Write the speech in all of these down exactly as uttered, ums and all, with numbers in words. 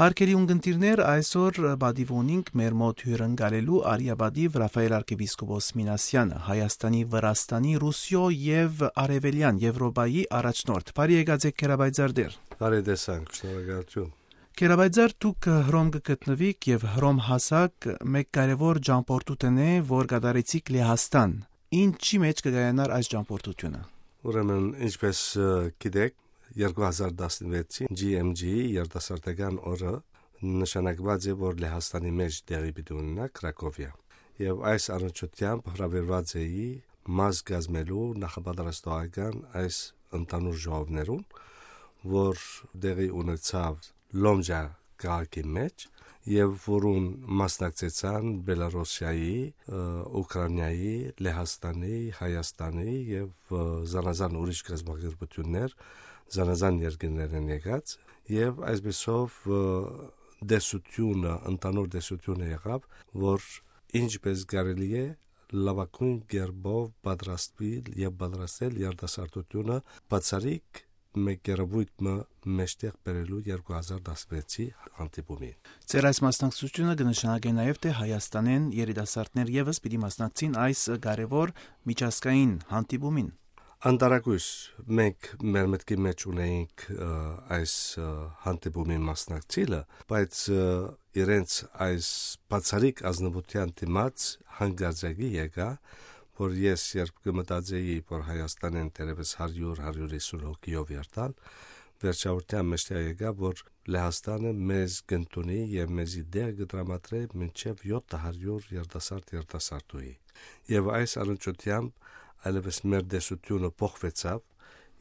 Հարգելի ունգընտիրներ, այսօր պատիվ ունինք մեր մոտ հիւրընկալելու արիապատիվ Ռաֆայել արքեպիսկոպոս Մինասեանը, Հայաստանի, Վրաստանի, Ռուսիոյ եւ Արեւելեան Եվրոպայի առաջնորդ։ Բարի եկած եք, Գերաբայձարդեր։ Բարի տեսանք, շնորհակալություն։ Գերաբայձար, դուք Հռոմ կը գտնուիք եւ Հռոմ հասակ մէկ կարեւոր ճամբորդութենէ, որ կատարեցիք Լեհաստան։ Ինչի՞ մէջ կը կայանար այս ճամբորդութիւնը։ Ուրեմն, ինչպես, ը, գիտեք, երկու հազար տասնվեցին G M G-ի երիտասարդական օրը նշանակուած է, որ Լեհաստանի մէջ տեղի պիտի ունենայ Կրակովիա։ Եւ այս առնչությամբ հրավիրուած էի մաս կազմելու նախապատրաստողական այս ընդհանուր ժողովներուն, որ տեղի ունեցաւ Լոմժա քաղաքի մէջ, եւ որուն մասնակցեցան Բելարուսիայի, ը, Ուկրաինայի, Լեհաստանի, Հայաստանի եւ, ը, զանազան ուրիշ կազմակերպություններ, զանազան երկիրներէն եկած, եւ այսպեսով, ը, տեսությունը, ընդհանուր տեսությունը եղաւ, որ ինչպես կարելի է լաւագոյն կերպով պատրաստուիլ եւ պատրաստել երիտասարդությունը բացառիկ մէկ երևույթ մը մէջտեղ բերելու երկու հազար տասնվեցի հանդիպումին։ Ձեր այս մասնակցությունը կը նշանակէ նաեւ, թէ Հայաստանէն երիտասարդներ եւս պիտի մասնակցին այս կարեւոր միջազգային հանդիպումին։ Անտարակույս, մենք մեր մտքի մէջ ունեինք, ը, այս, ը, հանդիպումին մասնակցիլը, բայց, ը, իրենց այս բացառիկ ազնուության դիմաց հանկարծակի եկայ, որ ես երբ կը մտածեի, որ Հայաստանէն թերեւս հարիւր, հարիւր հիսուն հոգիով երթալ, վերջավորութեան մէջ եկայ, որ Լեհաստանը մեզ կ'ընդունի եւ մեզի տեղ կը տրամադրէ մինչեւ յոթ հարիւր երիտասարդ, երիտասարդուհի։ Եւ այս առնչությամբ այլեւս մեր տեսությունը փոխուեցաւ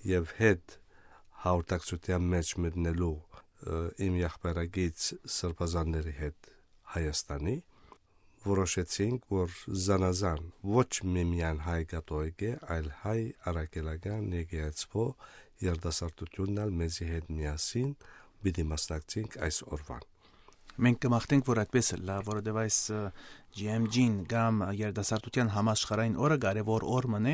եւ հետ հաղորդակցութեան մէջ մտնելու, ը, իմ եղբայրագիծ սրբազանների հետ Հայաստանի, որոշեցինք, որ զանազան ոչ միմեայն հայ կաթողիկէ, այլ հայ առաքելական եկեղեցւոյ երիտասարդութիւնն ալ մեզի հետ միասին պիտի մասնակցենք այս օրուան։ Մենք կը մաղթենք, որ այդպես ըլլայ, որովհետեւ այս, ը, G M G-ն կամ երիտասարդութեան համաշխարհային օրը կարեւոր օր մըն է,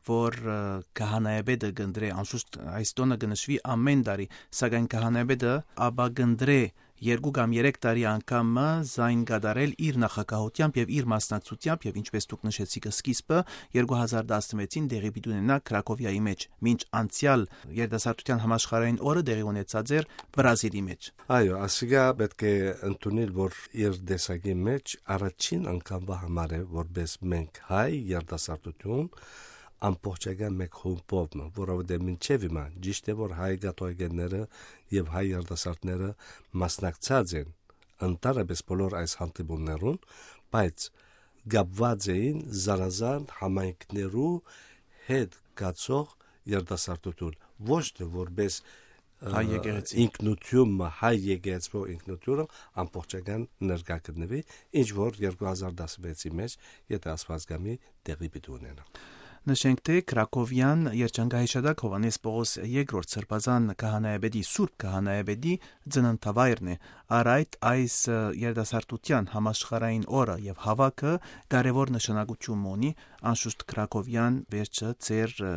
որ, ը, քահանայապետը կ'ընտրէ, անշուշտ այս տօնը կը նշուի ամէն տարի, սակայն քահանայապետը ապա կ'ընտրէ երկու կամ երեք տարի անգամ մը զայն կատարել իր նախագահությամբ եւ իր մասնակցությամբ, եւ ինչպես դուք նշեցիք սկիզբը, երկու հազար տասնվեցին տեղի պիտի ունենայ Քրակովիայի մէջ, մինչ անցեալ երիտասարդութեան համաշխարհային օրը տեղի ունեցած էր Բրազիլի մէջ։ Այո, ասիկա պէտք է ընդունիլ, որ իր տեսակի մէջ առաջին անգամվա համար է, որպես մենք հայ երիտասարդութիւն, ամբողջական մէկ խումբով մը, որովհետեւ մինչեւ հիմա, ճիշդ է, որ հայ կաթողիկէները եւ հայ երիտասարդները մասնակցած են ընդհանրապես բոլոր այս հանդիպումներուն, բայց կապուած էին զանազան համայնքներու հետ գացող երիտասարդութիւն, ոչ թէ որպես, ը, Հայ եկեղեցի։ Ինքնութիւն մը, հայ եկեղեցւոյ ինքնութիւնը ամբողջական ներկայ գտնուի, ինչ որ երկու հազար տասնվեցի մէջ, եթե Աստուած կամի, տեղի պիտի ունենայ։ Նշենք, թէ Քրակովիան երջանկահիշատակ Յովհաննէս Պողոս երկրորդ սրբազան քահանայապետի, սուրբ քահանայապետի ծննդավայրն է։ Առ այդ այս, ը, երիտասարդութեան համաշխարհային օրը եւ հաւաքը կարեւոր նշանակութիւն մը ունի, անշուշտ Քրակովիան վերջը ձեր, ը,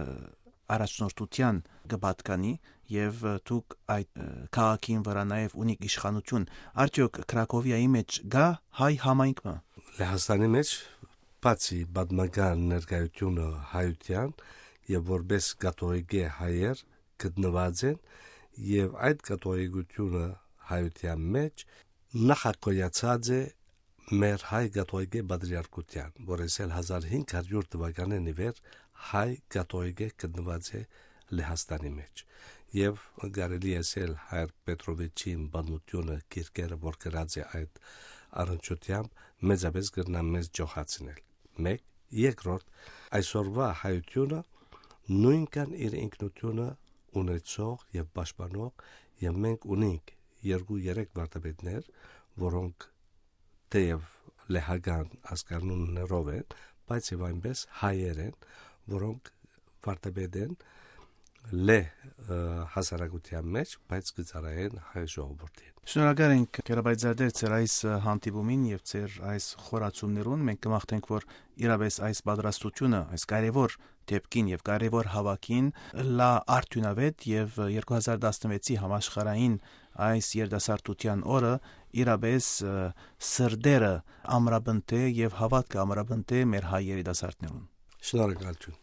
առաջնորդութեան կը պատկանի եւ, ը, դուք այդ, ը, քաղաքին վրայ նաեւ ունիք իշխանութիւն։ Արդեօք Քրակովիայի մէջ կա հայ համայնք մը։ Լեհաստանի մէջ, բացի պատմական ներկայությունը հայութեան եւ որպես կաթողիկէ հայեր գտնուած են, եւ այդ կաթողիկութիւնը հայութեան մէջ նախագոյացած է մեր հայ կաթողիկէ պատրիարքութեան, որ ես էլ հազար հինգ հարիւր թուականէն ի վեր հայ կաթողիկէ գտնուած է Լեհաստանի մէջ։ Եւ կարելի ես էլ հայր Պետրովիչին պատմութիւնը, գիրքերը, որ գրած է այդ առնչությամբ, մեծապես կրնամ մեզ ջոխացնել։ Մէկ, երկրորդ, այսօրվա հայութիւնը նոյնքան իր ինքնութիւնը ունեցող եւ պաշտպանող, եւ մենք ունենք երկու-երեք վարդապետներ, որոնք թեեւ լեհական ազգանուններով են, բայց եւ այնպես հայեր են, որոնք վարդապետ են լեհ, ը, հասարակութեան մէջ, բայց կը ծառայեն հայ ժողովուրդին։ Շնորհակալ ենք, Գերաբայձարդեր, ձեր այս, ը, հանդիպումին եւ ձեր այս խորացումներուն։ Մենք կը մաղթենք, որ իրապէս այս պատրաստությունը, այս կարեւոր դեպքին եւ կարեւոր հաւաքին լայ արդիւնաւէտ եւ երկու հազար տասնվեցի համաշխարհային այս երիտասարդութեան օրը իրապէս, ը, սրտերը ամրապնդէ եւ հաւատքը ամրապնդէ մեր հայ երիտասարդներուն։ Շնորհակալություն։